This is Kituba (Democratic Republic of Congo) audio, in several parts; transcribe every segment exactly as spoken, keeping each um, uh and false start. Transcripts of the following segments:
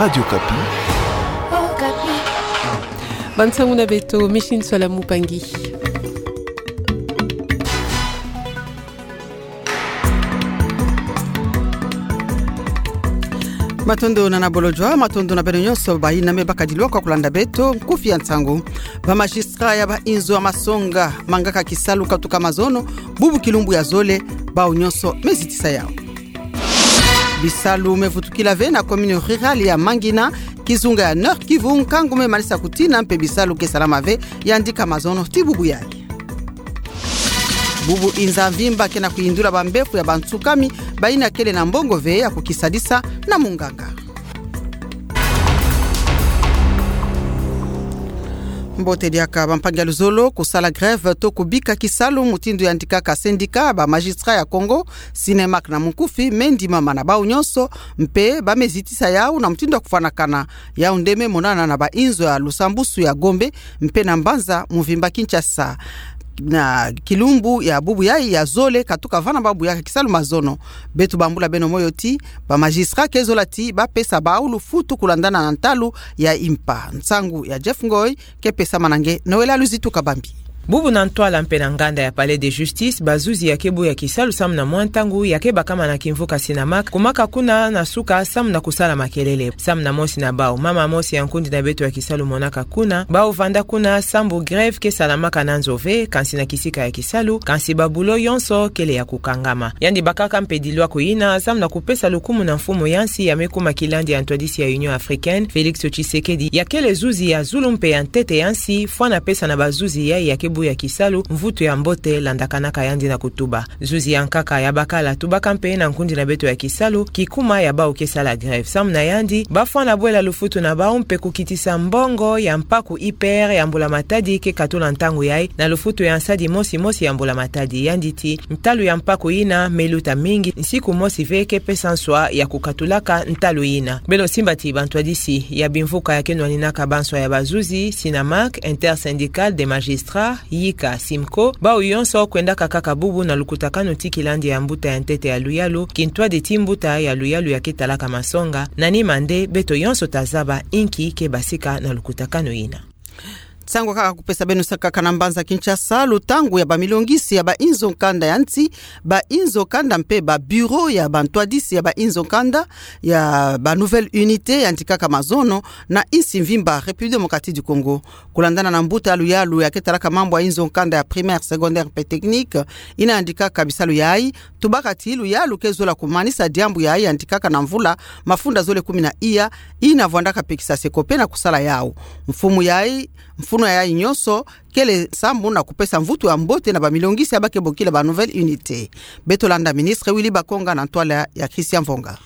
Radio Okapi. Bansangu na beto, Micheline Soala Mupangi. Matondo na na bolojwa, matondo na beno nyonso bayi na me bakadiloa kwa kulanda beto nkufi ya nsangu. Ba magistrat ya ba inzo ya masonga mangaka kisalu katuka mazono, bubu kilumbu ya zole, bawu nyonso mezitisa yawu. Bisalu mevutukila ve na commune rurale ya Mangina, kizunga ya Nord-Kivu, nkangu memanisa kutina mpe bisalu ke salama ve, yandika mazono ti bubu yayi. Bubu inza mvimba ke na kuyindula bambefu ya bansukami, bayina kele na mbongo ve ya kukisadisa na munganga. Mbote diaka bampangi ya luzolo, kusala grève to kubika kisalu mutindu yandikaka syndicat ba magistrat ya Congo, Sinemak na munkufi, mendimama na bawu nyonso, mpe bamezitisa yawu na mutindu ya kufwanakana. Yawu nde memonana na ba inzo ya lusambusu ya Gombe, mpe na mbanza mvimba Kinshasa. Na kilumbu ya bubu yayi ya zole katuka vana babuyaka kisalu mazono. Beto bambula beno moyo ti, ba magistrat ke zola ti bapesa bawu lufutu kulandana na ntalu ya impa. Nsangu ya Jeff Ngoy, ke pesama na nge Noëlla Luzitu Kabambi. Bubu na ntwala mpe na nganda ya Palais de Justice, bazuzi ya ke buya kisalu samu na mwa ntangu ya ke bakama na kimvuka Sinemak, kumaka kuna na suka samu na kusala makelele. Samu na mosi na bawu, mama mosi ya nkundi na beto ya kisalu monaka kuna, bawu vanda kuna sambu grève ke salamaka na nzo ve, kansi na kisika ya kisalu, kansi ba boulot yonso kele ya kukangama. Yandi bakaka mpe dilwako yina samu na kupesa lukumu na mfumu ya nsi ya me kuma kilandi ya ntwadisi ya Union Africaine, Félix Tshisekedi, ya kele zuzi ya zulu mpe ya ntete ya nsi, fwana pesa na bazuzi yayi ya ke buya kisalu mvutu ya mbote landakanaka yandi na kutuba. Zuzi ya nkaka ya bakala tubaka mpe na nkundi na beto ya kisalu kikuma ya bawu ke sala grève. Samu na yandi, bafwana bwela lufutu na bawu mpe kukitisa mbongo ya mpaku I P R ya mbula-matadi ke katula ntangu yayi na lufutu ya nsadi mosi mosi ya mbula-matadi. Yandi ti, ntalu ya mpaku yina meluta mingi, nsiku mosi ve ke pesa nswa ya kukatulaka ntalu yina. Beno simba ti bantwadisi ya bimvuka ya ke nwaninaka banswa ya bazuzi, Sinemak, Intersyndicale des magistrats, yika Simco, bawu yonso kwendaka kaka bubu na lukutakanu ti kilandi ya mbuta ya ntete ya luyalu, kintwadi ti mbuta ya luyalu ya ke talaka masonga, na nima nde beto yonso tazaba inki ke basika na lukutakanu yina. Nsangu kaka kupesa beno sa kaka na mbanza Kinshasa, lutangu ya bamilongisi ya ba inzo nkanda ya nsi, ba inzo nkanda mpe ba bureau ya bantwadisi ya ba inzo nkanda ya ba nouvelle unité yandikaka mazono na insi mvimba République démocratique du Congo. Kulandana na mbuta ya luyalu ya ke talaka mambu ya inzo nkanda ya primaire, secondaire mpe technique, yina yandikaka bisalu yayi, tubaka ti luyalu ke zola kumanisa diambu yayi yandikaka na mvula mafunda zole kumi na iya, yina vwandaka pekisa se ko pe na kusala yawu. Mfumu yayi, mfunu yayi nyonso kele sambu na kupesa mvutu ya mbote na bamilongisi ya ba ke bokila ba nouvelle unité. Beto landa ministre Willy Bakonga na ntwala ya Christian Mvonga.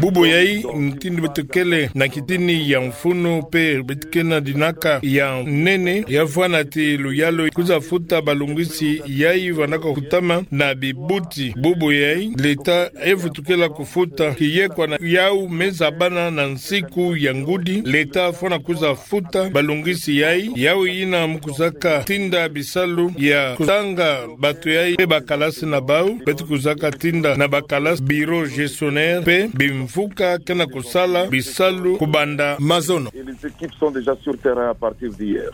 Bubu yayi, mutindu beto kele na kitini ya mfunu mpe beto ke na dinaka ya nene, ya vwanda ti luyalu kwiza futa balongisi yayi vandaka kutama na bibuti. Bubu yayi, l'État evutukila kufuta, kiyekwa na yawu meza bana na nsiku ya ngudi, l'État fwana kwiza futa balongisi yayi, yawu yina mu kwizaka tinda bisalu ya kutanga bato yayi mpe bakalasi na bawu, beto kwizaka tinda na bakalasi, bureau gestionnaire mpe bimvuka ke na kusala bisalu kubanda mazono. Et les équipes sont déjà sur terrain à partir d'hier.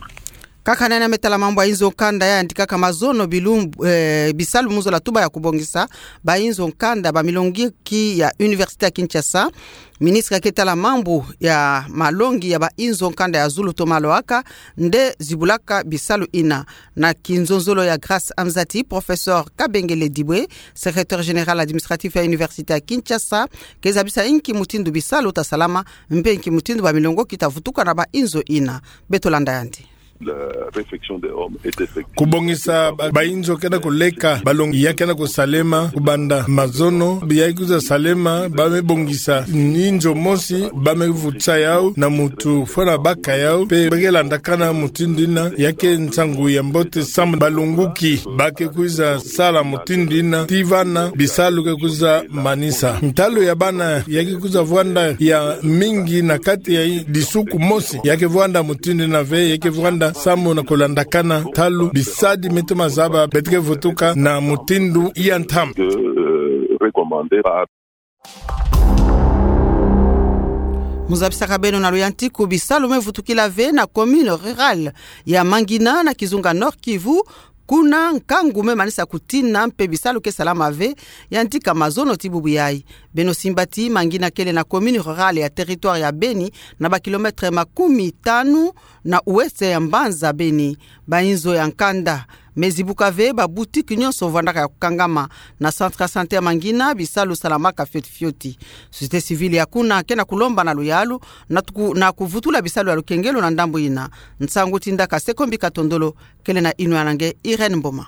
Kaka na yina me tala mambu ya inzo nkanda ya yandikaka mazono, bilumbu, eh, bisalu mu zola tuba ya kubongisa ba inzo nkanda, bamilongi ki ya Université ya Kinshasa. Ministre ya ke tala mambu ya malongi ya ba inzo nkanda ya zulu Thomas Lohaka nde zibulaka bisalu yina. Na kinzonzolo ya Grâce Amzati, professeur Kabengele Dibwe, secrétaire général administratif ya Université ya Kinshasa, ke zabisa inki mutindu bisalu ta salama, mpe inki mutindu bamilongoki ta vutuka na ba inzo yina. Beto landa yandi. La réfection des hommes est effective. Kubongisa ba, ba inzo ke na kuleka, balongi ya ke na kusalema, kubanda mazono, biya kwiza salema, ba me bongisa inzo mosi, ba me vutisa yawu, na mutu fwana baka yawu, mpe ba ke landakana mutindu yina, ya ke nsangu ya mbote samu balongoki ba ke kwiza sala mutindu yina, ti vana bisalu ke kwiza manisa. Ntalu ya bana ya ke kwiza vwanda ya mingi na kati ya disuku mosi, ya ke vwanda mutindu yina ve, ya ke vwanda samu na kulandakana ntalu bisadi me toma zaba beto ke vutuka na mutindu ya ntama. Que, euh, recommandé par. Mu zabisaka beno na luyantiku, bisalu me vutukila ve na commune rurale ya Mangina na kizunga Nord-Kivu, kuna nkangu me manisa kutina mpe bisalu ke salama ve, yandi ka mazono ti bubu yayi. Beno simba ti Mangina kele na commune rurale ya territoire ya Beni, na ba kilomètre makumi tanu na ouest ya mbanza Beni. Ba inzo ya nkanda me zibuka ve, ba boutique nyonso vwandaka ya kukangama. Na centre ya santé ya Mangina, bisalu salamaka fioti fioti. Société civile ya kuna ke na kulomba na luyalu na tuku-, na kuvutula bisalu ya lukengelo na ndambu yina. Nsangu tindaka Sekombi Katondolo, kele na inwa na nge Irène Mboma.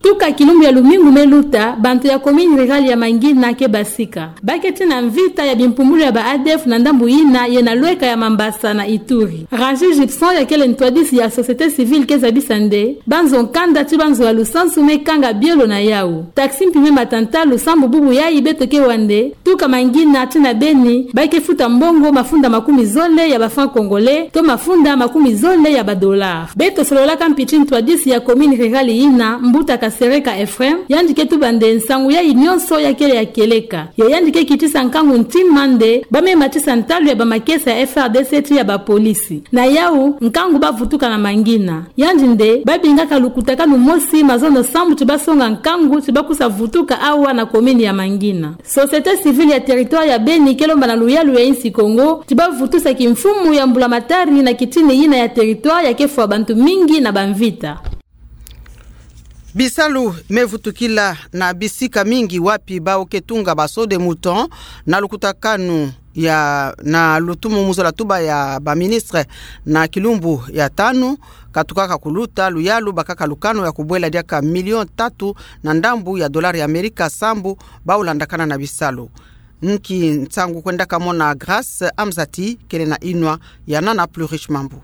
Tuka kilumbu ya lumingu me luta, bantu ya commune rurale ya Mangina ke basika. Ba ke tina mvita ya bimpumbulu ya ba A D F na ndambu yina ye na lweka ya Mambasa na Ituri. Régis Gibson, ya kele ntwadisi ya société civile, ke zabisa nde ba nzo nkanda ti ba nzo ya lusansu me kanga bielo na yawu. Taxi mpi me mata ntalu sambu bubu yayi beto ke wa nde, tuka Mangina tina Beni, ba ke futa mbongo mafunda makumi zole ya ba francs congolais, to mafunda makumi zole ya ba dollars. Beto sololaka mpi ti ntwadisi ya commune rurale yina, Mbuta Kasereka Ephraim, yandi ke tuba nde nsangu yayi nyonso ya kele ya kieleka. Ye yandi ke kitisa nkangu ntima nde ba me matisa ntalu ya ba makesa ya F R D C ti ya ba polisi. Na yawu, nkangu ba vutuka na Mangina. Yandi nde ba bingaka lukutakanu mosi mazono sambu ti ba songa nkangu ti ba kusa vutuka awa na commune ya Mangina. Société civile ya territoire ya Beni ke lomba na luyalu ya insi Kongo ti ba vutusa kimfumu ya mbulamatari na kitini yina ya territoire ya ke fwa bantu mingi na ba mvita. Bisalu me vutukila na bisika mingi wapi bawu ke tunga ba saut de mouton na lukutakanu ya, na lutumu mu zola tuba ya ba ministre na kilumbu ya tanu, ka tukaka kuluta luyalu, bakaka lukanu ya kubwela diaka million tatu na ndambu ya dollars ya Amerika sambu bawu landakana na bisalu. Nki nsangu kwendaka mona Grâce Amzati, kele na inwa ya Nana Plus Riche Mambu.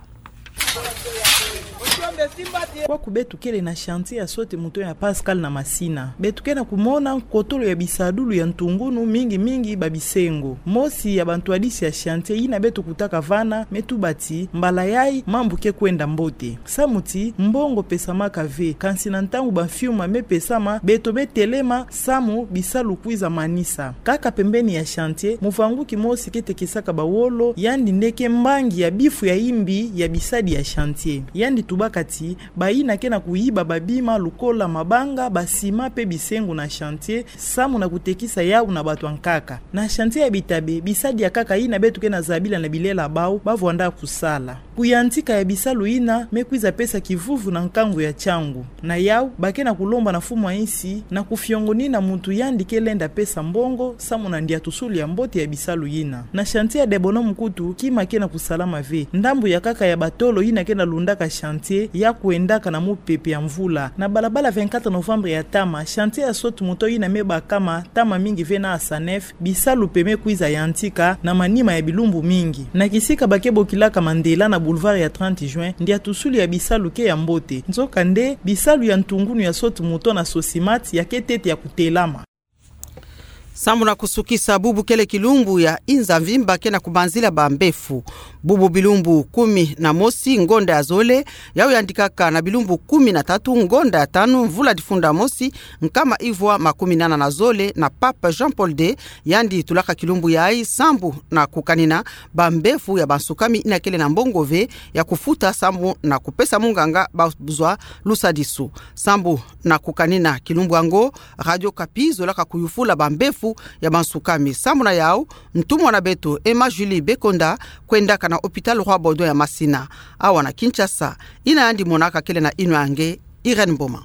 Kwaku beto kele na chantier ya saut de mouton ya Pascal na Masina. Beto ke na kumona nkotolo ya bisadulu ya ntungunu, mingi mingi ba bisengo. Mosi ya bantwadisi ya chantier yina beto kutaka vana me tuba ti mbala yayi mambu ke kwenda mbote. Samu ti mbongo pesamaka ve, kansi na ntangu ba mfiuma me pesama, beto me telema samu bisalu kwiza manisa. Kaka pembeni ya chantier, muvanguki mosi ke tekisaka ba wolo, yandi nde ke mbangi ya bifu ya imbi ya bisadi ya chantier. Yandi tubaka ti bayina ke na kuyiba ba bima lukola mabanga, ba ciment mpe bisengo na chantier, samu na kutekisa yawu na bato ya nkaka. Na chantier ya Bitabe, bisadi ya nkaka yina beto ke na zabila na bilela bawu, ba vwanda kusala. Kuyantika ya bisalu yina me kwiza pesa kivuvu na nkangu ya ntiangu. Na yawu, ba ke na kulomba na mfumu ya insi na kufiongonina muntu yandi ke lenda pesa mbongo samu na ndiatusulu ya mbote ya bisalu yina. Na chantier ya Debono mukutu, kima ke na kusalama ve. Ndambu ya nkaka ya batolo yina ke na lundaka chantier ya kwendaka na mupepe ya mvula. Na balabala vingt-quatre novembre ya ntama, chantier ya saut de mouton yina me bakama ntama mingi ve na Asanef, bisalu mpe me kwiza yantika na manima ya bilumbu mingi. Na kisika ba ke bokilaka Mandela na boulevard ya trente juin, ndiatusulu ya bisalu ke ya mbote. Nzokande, bisalu ya ntungunu ya saut de mouton na Sosimat ya ke ntete ya kutelama. Sambu na kusukisa, bubu kele kilumbu ya inza mvimba ke na kubanzila ba mbefu. Bubu bilumbu kumi na mosi ngonda ya zole, yawu yandikaka na bilumbu kumi na tatu ngonda ya tanu mvula difunda mosi, nkama ivwa makumi nana na zole, na Pape Jean-Paul deux, yandi tulaka kilumbu yayi sambu na kukanina ba mbefu ya bansukami yina kele na mbongo ve ya kufuta sambu na kupesa munganga ba zwa lusadisu. Sambu na kukanina kilumbu yango, Radio Okapi zolaka kuyufula ba mbefu ya bansukami. Sambu na yawu, ntumwa na beto, Emma Julie Bekonda, kwendaka na hôpital Roi Baudouin ya Masina, awa na Kinshasa. Yina yandi monaka kele na inwa ya nge, Irène Mboma.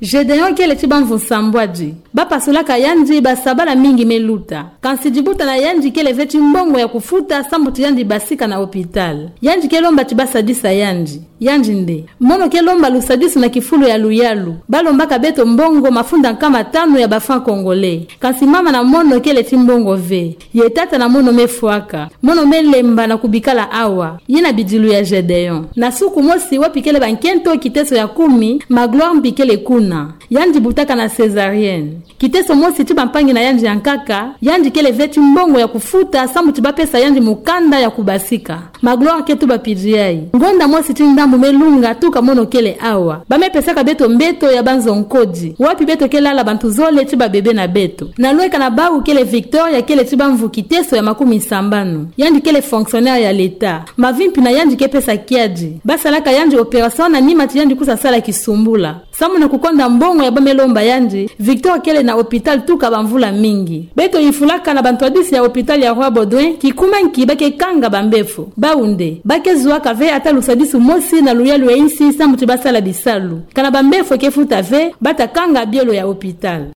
Gedeon kele ti bamvu nsambwadi. Ba pasulaka yandi ba sabala mingi me luta. Kansi dibuta na yandi kele ve ti mbongo ya kufuta sambu ti yandi basika na hôpital. Yandi ke lomba ti ba sadisa yandi. Yandi nde: Mono ke lomba lusadisu na kifulu ya luyalu. Ba lombaka beto mbongo mafunda nkama tanu ya ba francs congolais. Kansi mama na mono kele ti mbongo ve. Ye tata na mono me fwaka. Mono me lemba na kubikala awa. Yina bidilu ya Gedeon. Na suku mosi wapi kele bankento kiteso ya kumi, Magloire Mbikele kuna. na, yandi butaka na césarienne. Kiteso mosi ti bampangi na yandi ya nkaka, yandi kele ve ti mbongo ya kufuta, samu ti bapesa yandi mukanda ya kubasika. Ma Gloire ke tuba pidiyai. Ngonda mosi ti ndambu me lunga tuka mono kele awa. Ba me pesaka beto mbeto ya banzo nkodi, wapi beto ke lala bantu zole ti babebe na beto. Na lweka na bawu kele Victor, ya kele ti bamvu kiteso ya makumi sambanu. Yandi kele fonctionnaire ya l'État. Mavimpi na yandi ke pesa kiadi. Ba salaka yandi opération na nima ti yandi kusa sala kisumbula. Samu na kukonda mbongo ya ba me lomba yandi, Victor kele na hôpital tuka bamvula mingi. Beto yifulaka na bantwadisi ya hôpital ya Roi Baudouin, kikuma nki ba ke kanga bambefo. Bawu nde, ba ke zuaka ve ata lusadisu mosi na luyalu ya insi samu ti ba sala bisalu. Kana bambefo ke futa ve, ba ta kanga bielo ya hôpital.